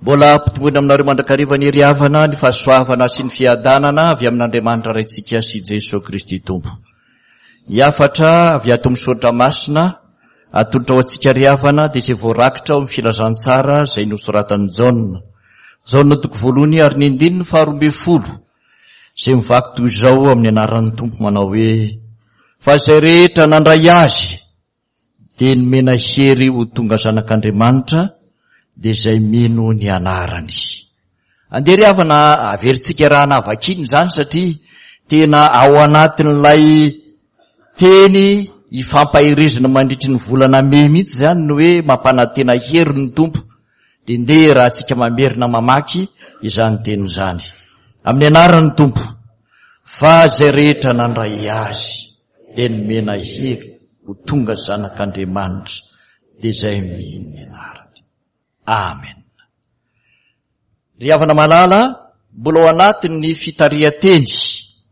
Mbola ampitomboina aminareo mandrakariva ny hery havana, ny fahasoavana sy ny fiadanana avy amin'Andriamanitra Raintsika sy Jesoa Kristy Tompo. Ny hafatra avy ato amin'ny Soratra Masina atolotra ho antsika ry havana dia izay voarakitra ao amin'ny Filazantsara izay nosoratan'i Jaona. Jaona toko voalohany ary ny andininy faha-12 izay mivaky toy izao amin'ny anaran'ny Tompo manao hoe fa izay rehetra nandray azy dia nomena hery ho tonga zanak'Andriamanitra dia izay mino ny anarany. Andeha ry havana averintsika raha navakiana izany satria tena ao anatin'ilay teny ifampaherezana mandritry ny volana mey mihitsy izany ny hoe mampanantena hery ny Tompo. Dia ndeha raha tsika mamerina mamaky izany teny izany. Amin'ny anaran'ny Tompo fa izay rehetra nandray azy dia nomena hery ho tonga zanak'Andriamanitra dia izay mino ny anarany. Amen. Ry havana malala, mbola ao anatin'ny fitarihan-teny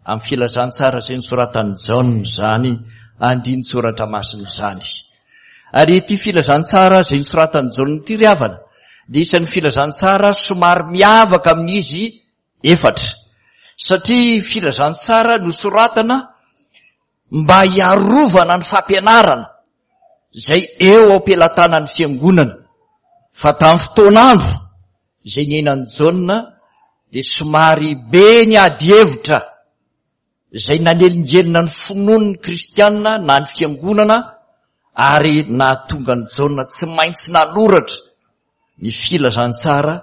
amin'ny filazantsara izay nosoratan'i Jaona izany andinin-tsoratra masina izany. Ary ity filazantsara izay nosoratan'i Jaona ity ry havana dia isan'ny filazantsara somary miavaka amin'izy Efatra, satria filazantsara nosoratana mba hiarovana ny fampianarana izay eo am-pelatanan'ny fiangonana, fa tamin'ny fotoan'andro izay niainan'i Jaona dia somary be ny ady hevitra izay nanelingelina ny finoan'ny kristiana na ny fiangonana ary nahatonga an'i Jaona tsy maintsy nanoratra ny filazantsara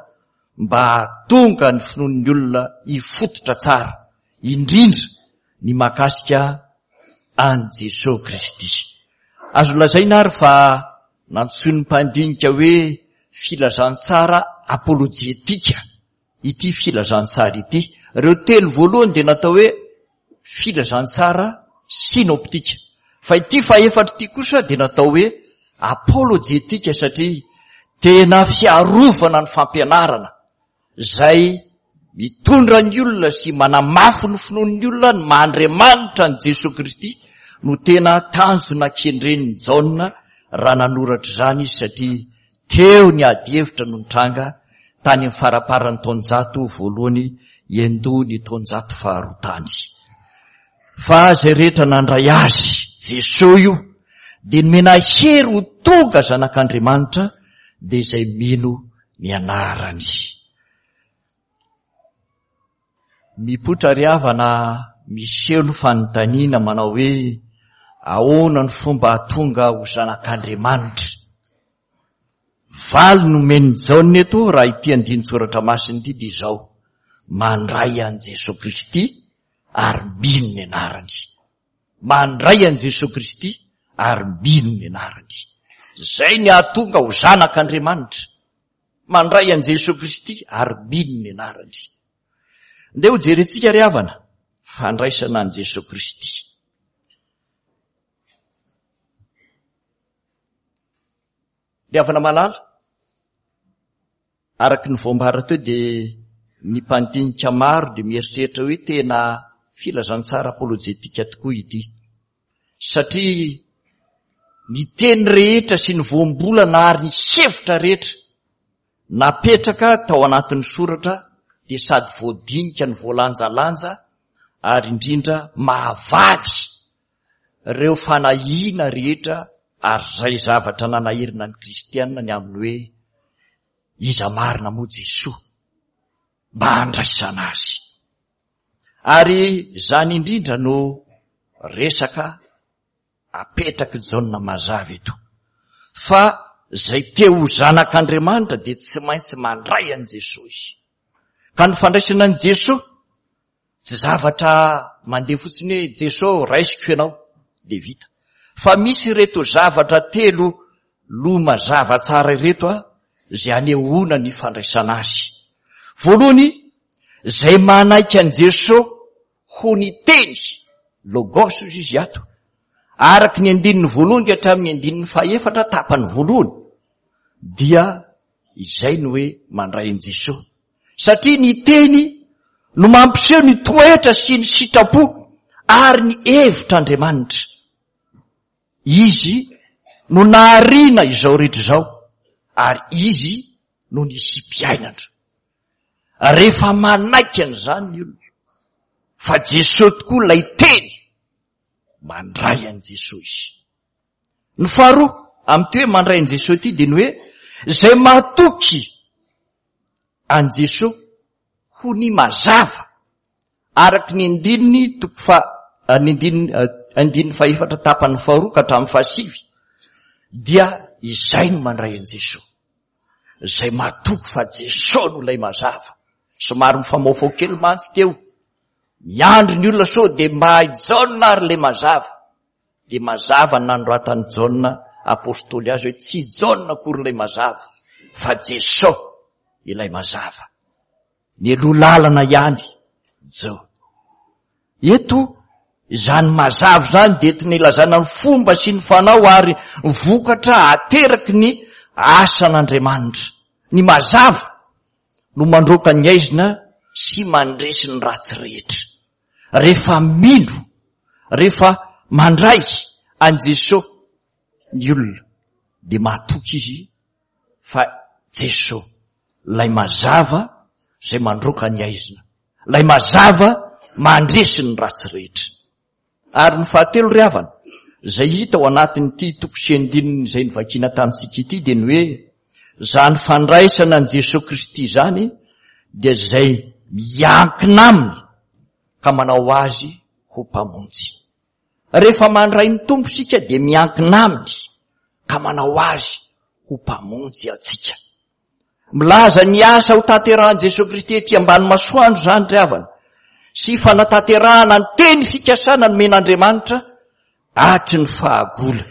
mba hahatonga ny finoan'ny olona hifototra tsara, indrindra ny mahakasika an'i Jesoa Kristy. Azo lazaina ary fa nantsoin'ny mpandinika hoe filazantsara apolojetika ity filazantsara ity. Ireo telo voalohany dia natao hoe filazantsara synoptika. Fa ity fahefatra ity kosa dia natao hoe apolojetika satria tena fiarovana ny fampianarana izay mitondra ny olona sy manamafy ny finoan'ny olona ny maha Andriamanitra an'i Jesoa Kristy no tena tanjona kendren'i Jaona raha nanoratra izany izy satria Teo ny ady hevitra no nitranga tany amin'ny faramparan'ny taonjato voalohany hiandoha ny taonjato faharoa tany. Fa izay rehetra nandray azy, Jesoa io, dia nomena hery ho tonga zanak'Andriamanitra, dia izay mino ny anarany. Mipoitra ry havana miseho ny fanontaniana manao hoe ahoana ny fomba hahatonga ho zanak'Andriamanitra? Valiny nomen'i Jaona eto raha ity andinin-tsoratra masina ity dia izao, mandray an'i Jesoa Kristy ary mino ny anarany. Mandray an'i Jesoa Kristy ary mino ny anarany. Izay ny hahatonga ho zanak'Andriamanitra. Mandray an'i Jesoa Kristy ary mino ny anarany. Ndeha ho jerentsika ry havana, fandraisana an'i Jesoa Kristy. Ry havana malala, araka ny voambara teo dia ny mpandinika maro dia mieritreritra hoe tena filazantsara apolojetika tokoa ity. Satria ny teny rehetra sy ny voambolana ary ny hevitra rehetra napetraka tao anatin'ny soratra dia sady voadinika ny voalanjalanja ary indrindra mahavady ireo fanahiana rehetra ary izay zavatra nanahirana ny kristiana ny amin'ny hoe iza marina moa Jesoa mba handraisana azy. Ary izany indrindra no resaka apetrak'i Jaona mazava eto. Fa izay te ho zanak'Andriamanitra dia tsy maintsy mandray an'i Jesoa izy. Ka ny fandraisana an'i Jesoa tsy zavatra mandeha fotsiny hoe Jesoa raisiko ianao dia vita. Fa misy ireto zavatra telo loha mazava tsara ireto a, izay anehoana ny fandraisana azy. Voalohany, izay manaiky an'i Jesoa ho ny teny, logos hozy izy ato, araka ny andininy voalohany ka hatramin'ny andininy fahefatra tapany voalohany, dia izay no hoe mandray an'i Jesoa. Satria ny teny no mampiseho ny toetra sy ny sitrapo ary ny hevitr'Andriamanitra. Izy no nahariana izao rehetra izao ary Izy. no nisiam-piainana. Rehefa manaiky an'izany ny olona fa Jesoa tokoa ilay teny, mandray an'i Jesoa izy. Ny faharoa amin'ity hoe mandray an'i Jesoa ity dia ny hoe izay matoky an'i Jesoa ho ny mazava araka ny andininy toko fa ny andininy andininy fahefatra tapany faharoa ka hatramin'ny fahasivy dia izay no mandray an'i Jesoa. Izay matoky fa Jesoa no ilay mazava. Somary mifamaofao kely mantsy teo. Miandry ny olona sao dia mba i Jaona ary ilay mazava. Dia mazava ny nanoratan'i Jaona apostoly azy hoe tsy Jaona akory ilay mazava fa Jesoa ilay mazava. Mialoha lalana ihany Jaona. Eto izany mazava izany dia entina ilazana ny fomba sy ny fanao ary ny vokatra ateraky ny asan'Andriamanitra. Ny mazava no mandroaka ny aizina sy mandresy ny ratsy rehetra. Rehefa mino, rehefa mandray an'i Jesoa ny olona dia matoky izy fa Jesoa ilay mazava izay mandroaka ny aizina, ilay mazava mandresy ny ratsy rehetra. Ary ny fahatelo ry havana, izay hita ao anatin'ity toko sy andininy izay novakiana tamintsika ity dia ny hoe izany fandraisana an'i Jesoa Kristy izany dia izay miankina aminy ka manao azy ho mpamonjy. Rehefa mandray ny Tompo isika dia miankina aminy ka manao azy ho mpamonjy antsika. Milaza ny asa ho tanterahan'i Jesoa Kristy ety ambany masoandro izany ry havana, sy fanatanterahana ny teny fikasana nomen'Andriamanitra hatry ny fahagola.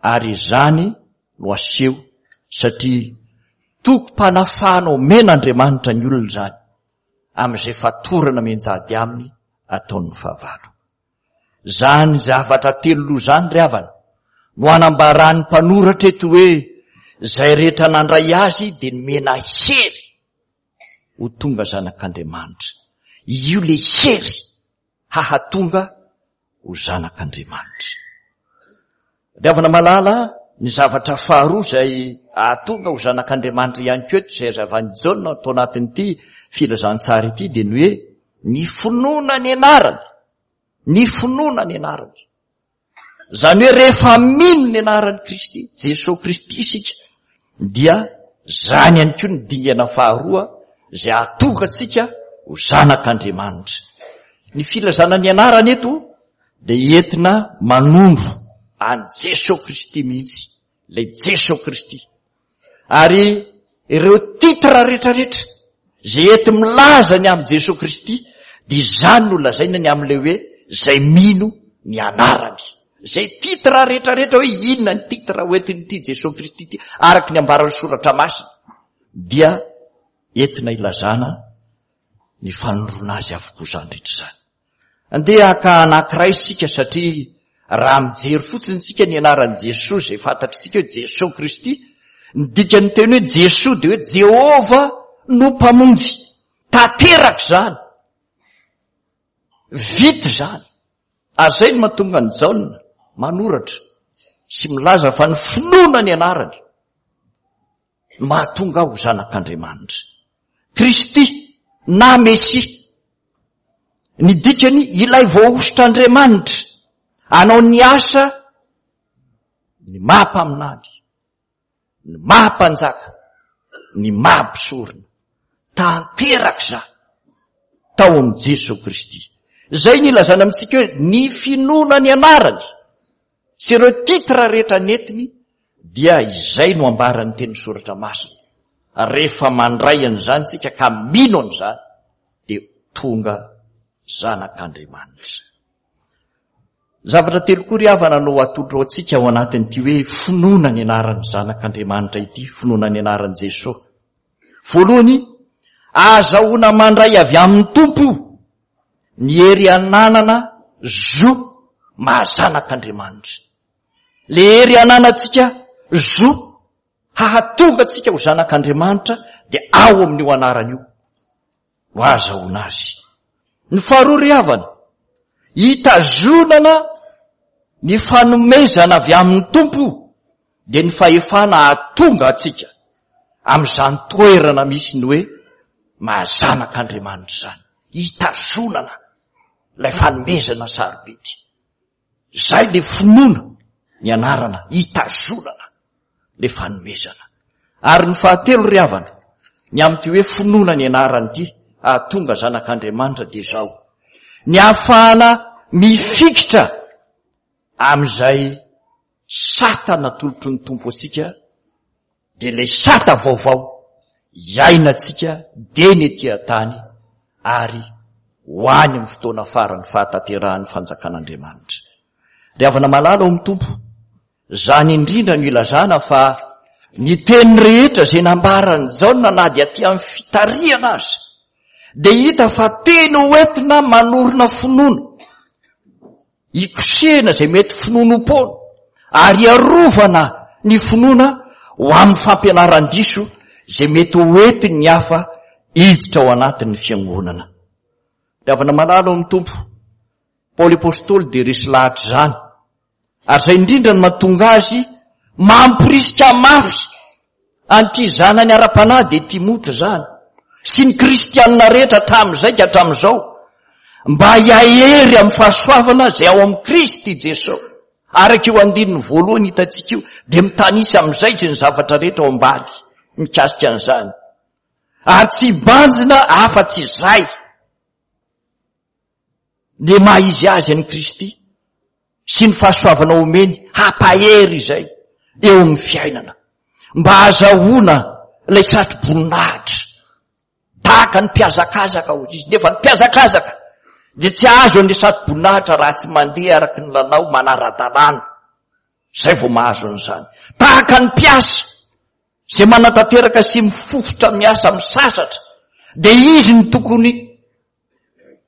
Ary izany no aseho satria tokim-panafahana omen'Andriamanitra ny olona izany amin'izay fatorana mianjady aminy ataon'ny fahavalo. Izany zavatra telo loha izany ry havana no anambaran'ny mpanoratra eto hoe izay rehetra nandray azy dia nomena hery ho tonga zanak'Andriamanitra. Io le hery hahatonga ho zanak'Andriamanitra. Ry havana malala, ny zavatra faharoa izay hahatonga ho zanak'Andriamanitra ihany koa eto izay hazavan'i Jaona ato anatin'ity filazantsara ity dia ny hoe ny finoana ny anarany. Ny finoana ny anarany. Izany hoe rehefa mino ny anaran'i Kristy, Jesoa Kristy isika, dia izany ihany koa ny dingana faharoa izay hahatonga antsika ho zanak'Andriamanitra. Ny filazana ny anarany eto dia entina manondro an'i Jesoa Kristy mihitsy, ilay Jesoa Kristy. Ary ireo titre rehetrarehetra izay enti milaza ny amin'i Jesoa Kristy dia izany no lazaina ny amin'ilay hoe izay mino ny anarany. Izay titre rehetrarehetra hoe inona ny titre hoentin'ity Jesoa Kristy ity araka ny ambaran'ny soratra masina dia entina ilazana ny fanondroana azy avokoa izany rehetra izany. Andeha haka anankiray isika satria raha mijery fotsiny isika ny anaran'i Jesoa izay fantatr'isika hoe Jesoa Kristy, ny dikan'ny teny hoe Jesoa dia hoe Jehovah no Mpamonjy. Tanteraka izany. Vita izany. Ary izay no mahatonga an'i Jaona manoratra sy milaza fa ny finoana ny anarany mahatonga aho ho zanak'Andriamanitra. Kristy na Mesia. Ny dikany ilay voahosotr'Andriamanitra hanao ny asa ny maha mpaminany, ny maha mpanjaka, ny maha mpisorona. Tanteraka izany tao amin'i Jesoa Kristy. Izay ny ilazana amintsika hoe ny finoana ny anarany sy ireo titre rehetra nentiny dia izay no ambaran'ny teny soratra masina. Rehefa mandray an'izany tsika ka mino an'izany dia tonga zanak'Andriamanitra. Zavatra telo koa ry havana no atolotro antsika ao anatin'ity hoe finoana ny anaran'ny zanak'Andriamanitra ity, finoana ny anaran'i Jesoa. Voalohany, ahazahoana mandray avy amin'ny Tompo ny hery ananana zo maha zanak'Andriamanitra. Le hery ananantsika zo hahatonga antsika ho zanak'Andriamanitra dia ao amin'io anarana io no ahazahoana azy. Ny faharoa ry havana, hitazonana ny fanomezana avy amin'ny Tompo dia ny fahefana hahatonga antsika. amin'izany toerana misy ny hoe maha zanak'Andriamanitra izany. Hitazonana ilay fanomezana sarobidy. Izay le finoana ny anarana hitazonana le fanomezana. Ary ny fahatelo ry havana, ny amin'ity hoe finoana ny anarana ity hahatonga zanak'Andriamanitra dia izao, ny hahafahana mifikitra amin'izay sata natolotry ny Tompo antsika dia ilay sata vaovao iainantsika dia ny ety an-tany ary ho any amin'ny fotoana farany fahatanterahan'ny fanjakan'Andriamanitra. Ry havana malala ao amin'ny Tompo, izany indrindra no ilazana fa ny teny rehetra izay nambaran'i Jaona na dia aty amin'ny fitarihana aza dia hita fa teny hoentina manorina finoana Hikosehina izay mety finoanoam-poana ary hiarovana ny finoana ho amin'ny fampianaran-diso izay mety ho entin'ny hafa hiditra ao anatin'ny fiangonana. Ry havana malala ao amin'ny Tompo, Paoly Apostoly dia resy lahatra izany, ary izay indrindra no mahatonga azy mamporisika mafy an'ity zanany ara-panahy dia Timoty izany, sy ny kristianina rehetra hatramin'izay ka hatramin'izao, mba hiahery amin'ny fahasoavana izay ao amin'i Kristy Jesosy. Araka io andininy voalohany hitantsika io, dia mitanisa amin'izay izy ny zavatra rehetra ao ambany mikasika an'izany. Ary tsy hibanjina afa-tsy izay. Ny maha izy azy an'i Kristy sy ny fahasoavana omeny hampahery izay eo amin'ny fiainana mba hahazahoana ilay satro-boninahitra tahaka ny mpihazakazaka hoy izy nefa ny mpihazakazaka dia tsy azo an'ilay satro-boninahitra raha tsy mandeha araka ny lalao manara-dalàna izay vao mahazo an'izany tahaka ny mpiasa izay manatanteraka sy mifofotra miasa misasatra dia izy no tokony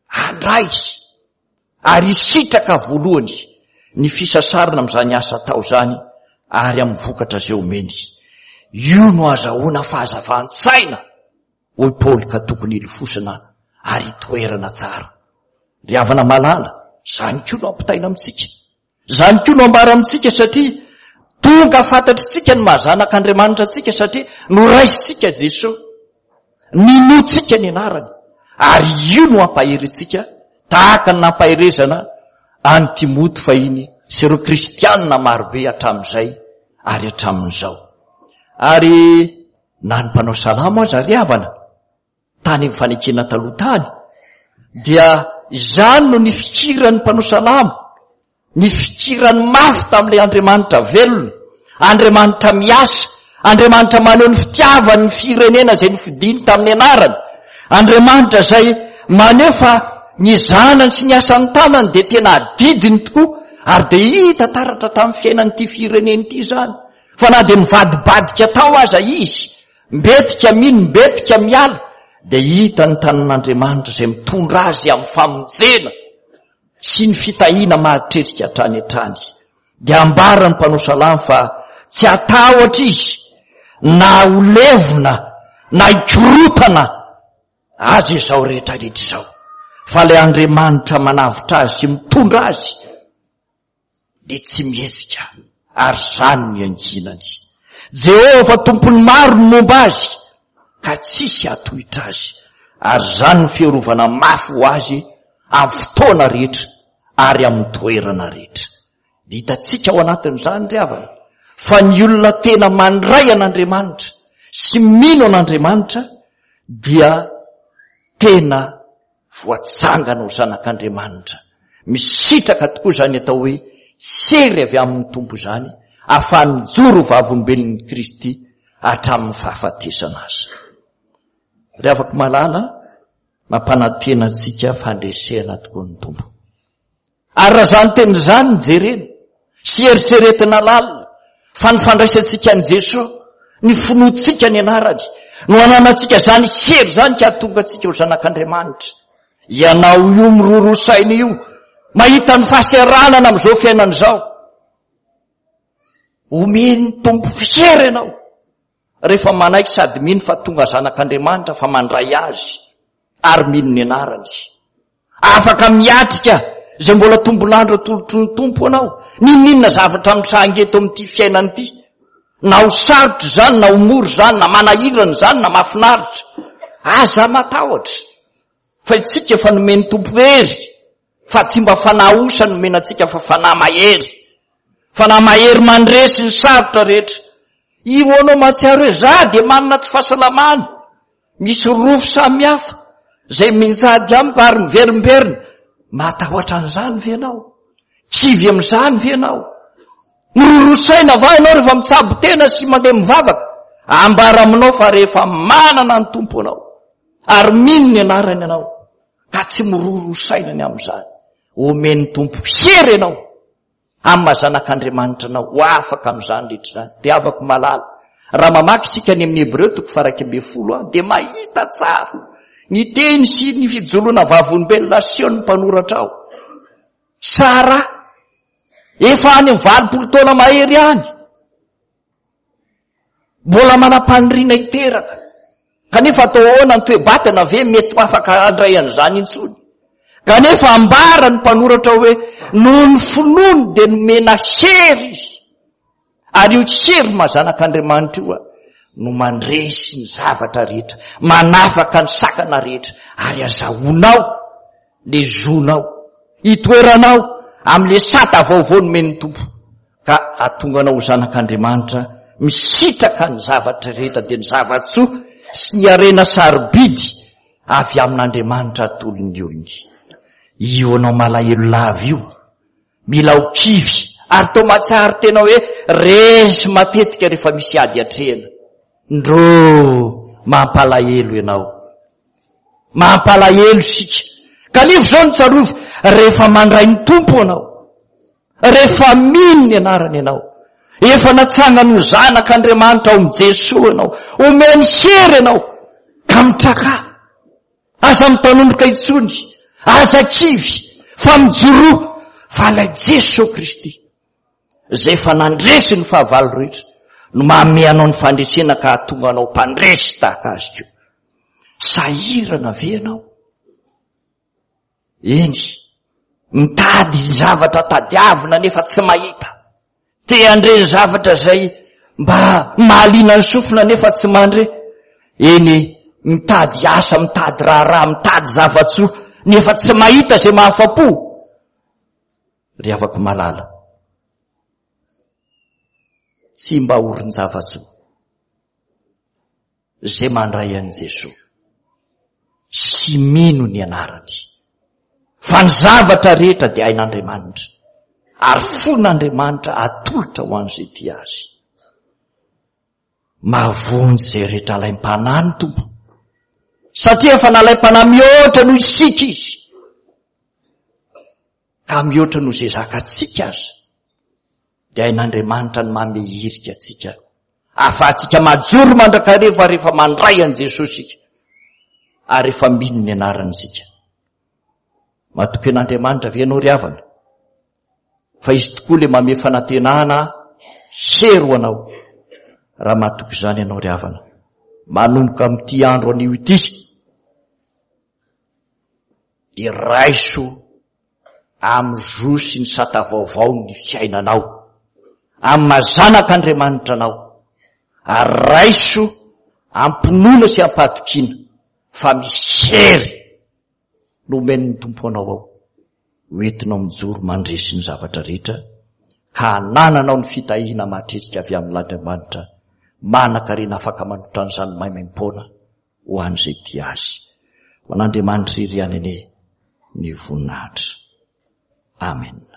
handray ary hisitraka voalohany ny fisasarana amin'izany asa atao izany ary amin'ny vokatra izay omeny. Io no azahoana fahazavan-tsaina, hoy Paoly ka tokony hilofosana ary hitoerana tsara. Ry havana malala, izany koa no ampitaina amintsika. Izany koa no ambara amintsika satria tonga fantatritsika ny maha zanak'Andriamanitra antsika satria noraisintsika Jesoa, ninoantsika ny anarany ary io no hampahery antsika tahaka ny nampaherezana an'i Timoty fahiny sy ireo kristianina marobe hatramin'izay ary hatramin'izao. Ary na ny mpanao salamo aza ry havana tany amin'ny fanekena taloha tany, dia izany no nifikiran'ny mpanao salamo, nifikirany mafy tamin'ilay Andriamanitra velona, Andriamanitra miasa, Andriamanitra maneho ny fitiavany ny firenena izay nofidiny tamin'ny anarany, Andriamanitra izay maneho fa ny zanany sy ny asan'ny tanany dia tena adidiny tokoa, ary dia hita taratra tamin'ny fiainan'ity firenena ity izany, fa na dia nivadibadika tao aza izy, Mbetika mino, mbetika miala, dia hita ny tanan'Andriamanitra izay mitondra azy amin'ny famonjena sy ny fitahiana mahatretrika hatrany hatrany. Dia ambaran'ny mpanao salamo fa tsy hatahotra izy na ho levona na hikorotana azy izao rehetra rehetra izao, fa ilay Andriamanitra manavotra azy sy mitondra azy dia tsy mihetsika ary izany no iankinany. Jehovah Tompon'ny maro no momba azy ka tsisy hatohitra azy ary izany no fiarovana mafy ho azy amin'ny fotoana rehetra ary amin'ny toerana rehetra. Dia hitantsika ao anatin'izany ry havana fa ny olona tena mandray an'Andriamanitra sy mino an'Andriamanitra dia tena voatsangana ho zanak'Andriamanitra. Misitraka tokoa izany atao hoe hery avy amin'ny Tompo izany, ahafahany mijoro ho vavolombelon'i Kristy hatramin'ny fahafatesana aza. Ry havako malala, mampanantena antsika fandresena tokoa ny Tompo. Ary raha izany teny izany no jerena sy eritreretina lalina fa ny fandraisantsika an'i Jesoa, ny finoantsika ny anarany, no ananantsika izany hery izany ka hahatonga antsika ho zanak'Andriamanitra. Ianao io miroroa saina io, mahita ny fahaseranana amin'izao fiainana izao. Omen'ny Tompo hery ianao rehefa manaiky sady mino fa tonga zanak'Andriamanitra fa mandray azy ary mino ny anarany. Afaka miatrika izay mbola tombon'andro atolotry ny Tompo anao, n'inon'inona zavatra mitranga eto amin'ity fiainana ity. Na ho sarotra izany, na ho mora izany, na manahirana izany, na mahafinaritra. Aza matahotra. Fa isika efa nomen'ny Tompo hery, fa tsy mba fanahy osa nomena antsika fa fanahy mahery. Fanahy mahery mandresy ny sarotra rehetra. Io anao mahatsiaro hoe za dia manana tsy fahasalamana. Misy rofy samihafa izay minjady amiko ary miverimberina. Matahotra an'izany ve ianao? Kivy amin'izany ve ianao? Miroroa saina va ianao rehefa mitsabo tena sy mandeha mivavaka? Ambara aminao fa rehefa manana ny Tompo anao ary mino ny anarany ianao ka tsy miroroa saina ny amin'izany. Omen'ny Tompo hery ianao amin'ny maha zanak'Andriamanitra anao ho afaka amin'izany rehetra izany. Dia havako malala, raha mamaky isika any amin'ny Hebreo toko faha-11 dia mahita tsara ny teny sy ny fijoroana vavolombelona asehon'ny mpanoratra ao. Sara, efa any amin'ny 80 taona mahery any, Mbola manam-paniriana hiteraka. Kanefa atao ahoana ny toe-batana ve mety ho afaka handray an'izany intsony? Kanefa ambara ny mpanoratra hoe noho ny finoany dia nomena hery izy. Ary io hery maha zanak'Andriamanitra io no mandresy ny zavatra rehetra, manafaka ny sakana rehetra, ary azahoanao le zonao, itoeranao amin'le sata vaovao nomen'ny Tompo. ka hahatonga anao ho zanak'Andriamanitra misitraka ny zavatra rehetra dia ny zava-tsoa sy ny harena sarobidy avy amin'Andriamanitra atolony olony. Io anao malahelo lava io, mila ho kivy ary toa mahatsiaro tena hoe resy matetika rehefa misy ady atrehina. Ndrô mampalahelo ianao. Mampalahelo isika. Kanefa izao no tsarovy, rehefa mandray ny Tompo ianao, Rehefa mino ny anarany ianao, efa natsangany ho zanak'Andriamanitra ao amin'i Jesoa ianao, omeny hery ianao, ka mitrakà. Aza mitanondroka intsony, aza kivy, fa mijoroa, fa ilay Jesoa Kristy, izay efa nandresy ny fahavalo rehetra, no manome anao ny fandresena ka hahatonga anao mpandresy tahaka azy koa. Sahirana ve ianao? Eny, mitady ny zavatra tadiavina nefa tsy mahita. Te handre ny zavatra izay mba mahaliana ny sofina nefa tsy mandre. Eny, mitady asa, mitady raharaha, mitady zava-tsoa nefa tsy mahita izay mahafa-po. Ry havako malala, tsy mba orin-java-tsoa. izay mandray an'i Jesoa sy mino ny anarany. Fa ny zavatra rehetra dia hain'Andriamanitra ary fon'Andriamanitra atolotra ho an'izay tia azy. Mahavonjy izay rehetra alaim-panahy ny Tompo. Satria efa nalaim-panahy mihoatra noho isika izy. Ka mihoatra noho izay zakantsika aza. Dia hain'Andriamanitra ny manome hirika antsika ahafahantsika majoro mandrakariva rehefa mandray an'i Jesosy isika ary rehefa mino ny anarany isika. Matoky an'Andriamanitra ve ianao ry havana? Fa izy tokoa ilay manome fanantenana hery ho anao raha matoky izany ianao ry havana. Manomboka amin'ity andro anio ity dia raiso amin'ny zo sy ny sata vaovao ny fiainanao, amin'ny maha zanak'Andriamanitra anao, ary raiso am-pinoana sy am-pahatokiana fa misy hery nomen'ny Tompo anao ao, ho entinao mijoro mandresy ny zavatra rehetra, ka hanananao ny fitahiana mahatretrika avy amin'Andriamanitra manan-karena afaka manotra an'izany maimaimpoana ho an'izay tia azy. Ho an'Andriamanitra irery ihany anie ny voninahitra. Amen.